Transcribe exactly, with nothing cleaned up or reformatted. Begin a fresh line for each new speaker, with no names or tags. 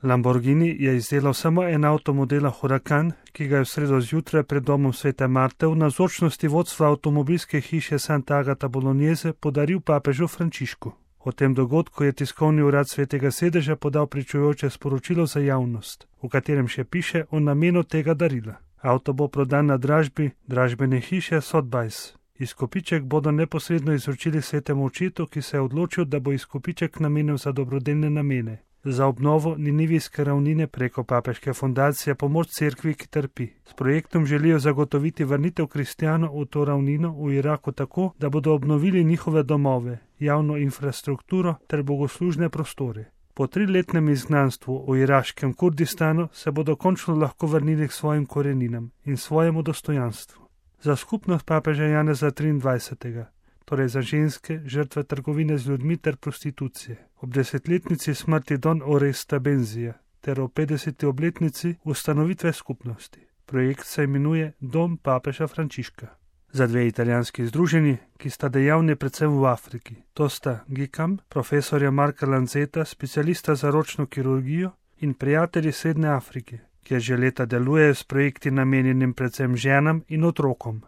Lamborghini je izdelal samo en avto modela Huracan, ki ga je v sredo zjutraj pred domom Svete Marte v navzočnosti vodstva avtomobilske hiše Santa Agata Bolognese podaril papežu Frančišku. O tem dogodku je tiskovni urad Svetega sedeža podal pričujoče sporočilo za javnost, v katerem še piše o namenu tega darila. Avto bo prodan na dražbi dražbene hiše Sotheby's. Izkupiček bodo neposredno izročili Svetemu očetu, ki se je odločil, da bo izkupiček namenil za dobrodelne namene. Za obnovo Ninivijske ravnine preko papeške fundacije Pomoč cerkvi, ki trpi. S projektom želijo zagotoviti vrnitev kristjanov v to ravnino v Iraku tako, da bodo obnovili njihove domove, javno infrastrukturo ter bogoslužne prostore. Po triletnem izgnanstvu v iraškem Kurdistanu se bodo končno lahko vrnili k svojim koreninam in svojemu dostojanstvu. Za skupnost papeža Janeza triindvajsetega, torej za ženske, žrtve trgovine z ljudmi ter prostitucije, ob desetletnici smrti Don Oresta Benzija ter ob petdeseti obletnici ustanovitve skupnosti. Projekt se imenuje Dom papeža Frančiška. Za dve italijanski združenji, ki sta dejavni predvsem v Afriki, to sta Gikam, profesorja Marka Lanzeta, specialista za ročno kirurgijo, in prijatelji Srednje Afrike, kjer že leta delujejo s projekti namenjenim predvsem ženam in otrokom.